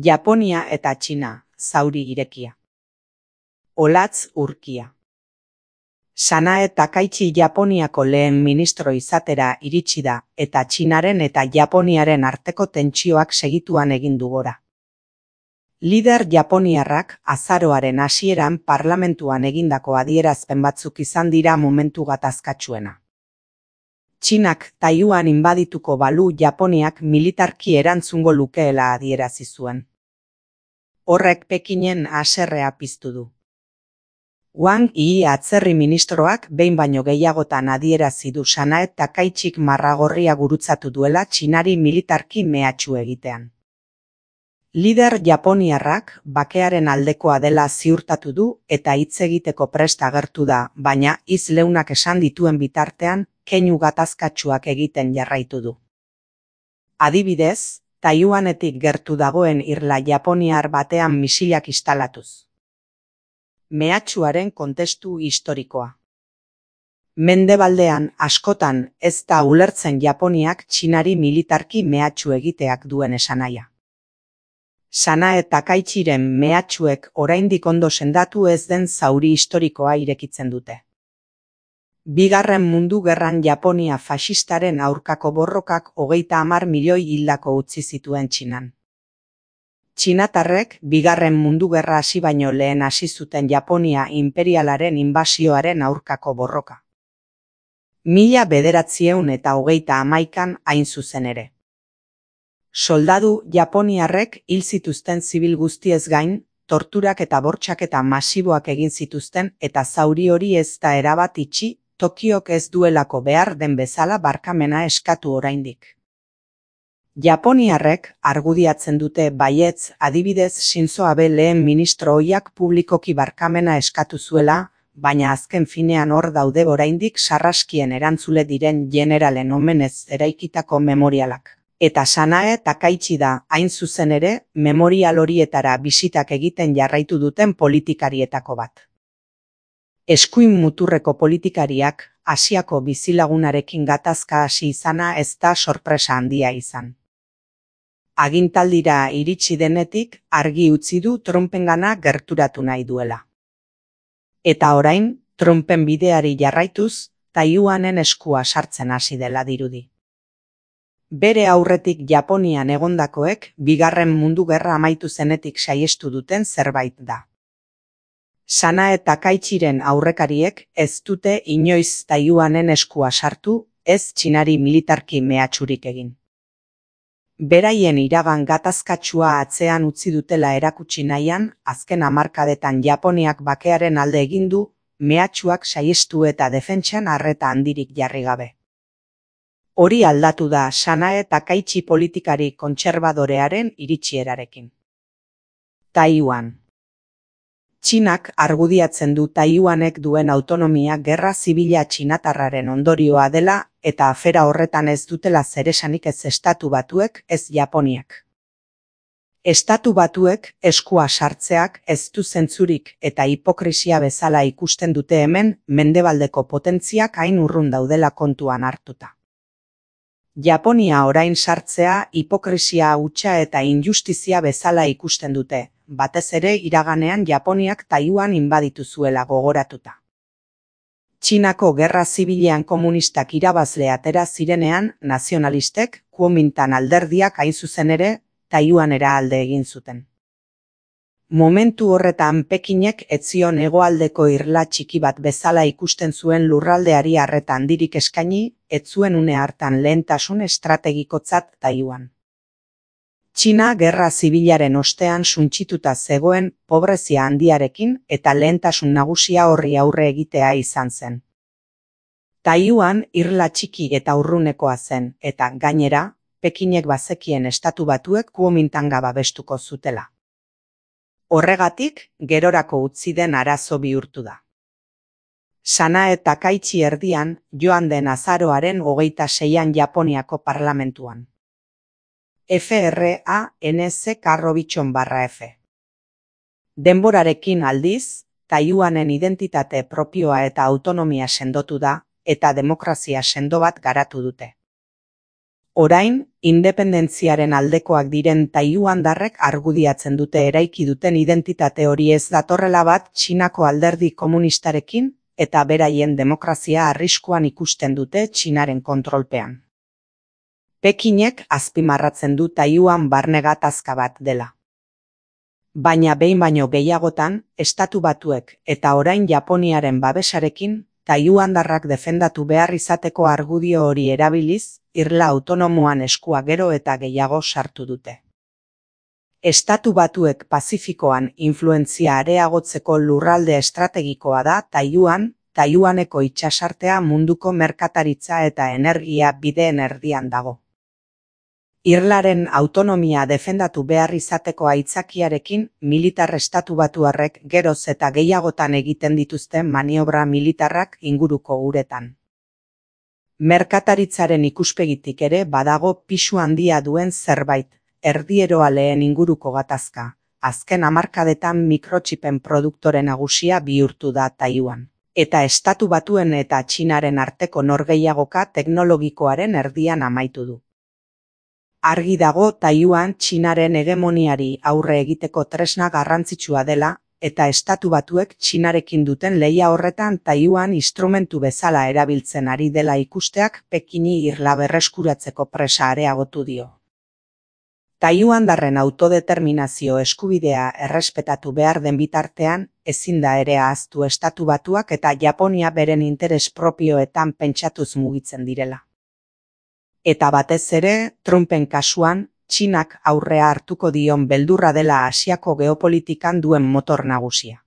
Japonia eta Txina, zauri irekia. Olatz urkia. Sanae Takaichi Japoniako lehen ministro izatera iritsi da eta Txinaren eta Japoniaren arteko tentsioak segituan egin du gora. Lider japoniarrak azaroaren hasieran parlamentuan egindako adierazpen batzuk izan dira momentu gatazkatsuena. Txinak Taiwan inbadituko balu Japoniak militarki erantzungo lukeela adierazi zuen. Horrek Pekinen haserrea piztu du. Wang Yi atzerri ministroak behin baino gehiagotan adierazi du Sanae Takaichik marragorria gurutzatu duela Txinari militarki mehatxu egitean. Lider japoniarrak bakearen aldekoa dela ziurtatu du eta hitz egiteko prest agertu da, baina hitz leunak esan dituen bitartean keinu gatazkatsuak egiten jarraitu du. Adibidez, Taiwanetik gertu dagoen irla japoniar batean misilak instalatuz. Mehatxuaren kontestu historikoa. Mendebaldean askotan ez da ulertzen Japoniak Txinari militarki mehatxu egiteak duen esanahia. Sanae Takaichiren mehatxuek oraindik ondo sendatu ez den zauri historikoa irekitzen dute. Bigarren Mundu Gerran Japonia faxistaren aurkako borrokak 30 milioi hildako utzi zituen Txinan. Txinatarrek Bigarren Mundu Gerra hasi baino lehen hasi zuten Japonia inperialaren inbasioaren aurkako borroka. 1931 hain zuzen ere. Soldadu japoniarrek hil zituzten zibil guztiez gain, torturak eta bortxaketa masiboak egin zituzten eta zauri hori ez da erabat itxi, Tokiok ez duelako behar den bezala barkamena eskatu oraindik. Japoniarrek argudiatzen dute baietz, adibidez Shinzo Abe lehen ministro ohiak publikoki barkamena eskatu zuela, baina azken finean hor daude oraindik sarraskien erantzule diren generalen omenez eraikitako memorialak. Eta Sanae Takaichi da, hain zuzen ere, memorial horietara bisitak egiten jarraitu duten politikarietako bat. Eskuin muturreko politikariak Asiako bizilagunarekin gatazka hasi izana ez da sorpresa handia izan. Agintaldira iritsi denetik argi utzi du Trumpengana gerturatu nahi duela. Eta orain, Trumpen bideari jarraituz, Taiwanen eskua sartzen hasi dela dirudi. Bere aurretik Japonian egondakoek Bigarren Mundu Gerra amaitu zenetik saihestu duten zerbait da. Sanae Takaichiren aurrekariek ez dute inoiz Taiwanen eskua sartu, ez Txinari militarki mehatxurik egin. Beraien iragan gatazkatsua atzean utzi dutela erakutsi nahian, azken hamarkadetan Japoniak bakearen alde egin du, mehatxuak saihestu eta defentsan arreta handirik jarri gabe. Hori aldatu da Sanae Takaichi politikari kontserbadorearen iritsierarekin. Taiwan. Txinak argudiatzen du Taiwanek duen autonomia gerra zibila txinatarraren ondorioa dela eta afera horretan ez dutela zeresanik ez Estatu Batuek ez Japoniak. Estatu Batuek eskua sartzeak ez du zentzurik eta hipokrisia bezala ikusten dute hemen mendebaldeko potentziak hain urrun daudela kontuan hartuta. Japonia orain sartzea hipokrisia hutsa eta injustizia bezala ikusten dute, batez ere iraganean Japoniak Taiwan inbaditu zuela gogoratuta. Txinako gerra zibilean komunistak irabazle atera zirenean, nazionalistek, Kuomintang alderdiak hain zuzen ere, Taiwanera alde egin zuten. Momentu horretan Pekinek ez zion hegoaldeko irla txiki bat bezala ikusten zuen lurraldeari arreta handirik eskaini, ez zuen une hartan lehentasun estrategikotzat Taiwan. Txina gerra zibilaren ostean suntsituta zegoen pobrezia handiarekin eta lehentasun nagusia horri aurre egitea izan zen. Taiwan irla txiki eta urrunekoa zen eta gainera, Pekinek bazekien Estatu Batuek Kuomintanga babestuko zutela. Horregatik, gerorako utzi den arazo bihurtu da. Sanae Takaichi erdian, joan den azaroaren 26an Japoniako parlamentuan. FRANC/F. Denborarekin aldiz, Taiwanen identitate propioa eta autonomia sendotu da, eta demokrazia sendo bat garatu dute. Orain, independentziaren aldekoak diren taiwandarrek argudiatzen dute eraiki duten identitate hori ez datorrela bat Txinako alderdi komunistarekin eta beraien demokrazia arriskuan ikusten dute Txinaren kontrolpean. Pekinek azpimarratzen du Taiwan barne gatazka bat dela. Baina behin baino gehiagotan, Estatu Batuek eta orain Japoniaren babesarekin, taiwandarrak defendatu behar izateko argudio hori erabiliz, irla autonomoan eskua gero eta gehiago sartu dute. Estatu Batuek Pazifikoan influentzia areagotzeko lurralde estrategikoa da Taiwaneko itsasartea munduko merkataritza eta energia bideen erdian dago. Irlaren autonomia defendatu behar izateko aitzakiarekin militar estatubatuarrek geroz eta gehiagotan egiten dituzten maniobra militarrak inguruko uretan. Merkataritzaren ikuspegitik ere badago pisu handia duen zerbait, erdieroaleen inguruko gatazka. Azken hamarkadetan mikrotxipen produktore nagusia bihurtu da Taiwan. Eta Estatu Batuen eta Txinaren arteko norgehiagoka teknologikoaren erdian amaitu du. Argi dago Taiwan Txinaren hegemoniari aurre egiteko tresna garrantzitsua dela, eta Estatu Batuek Txinarekin duten lehia horretan Taiwan instrumentu bezala erabiltzen ari dela ikusteak Pekini irla berreskuratzeko presa areagotu dio. Taiwandarren autodeterminazio eskubidea errespetatu behar den bitartean, ezin da ere ahaztu Estatu Batuak eta Japonia beren interes propioetan pentsatuz mugitzen direla. Eta batez ere, Trumpen kasuan, Txinak aurrea hartuko dion beldurra dela Asiako geopolitikan duen motor nagusia.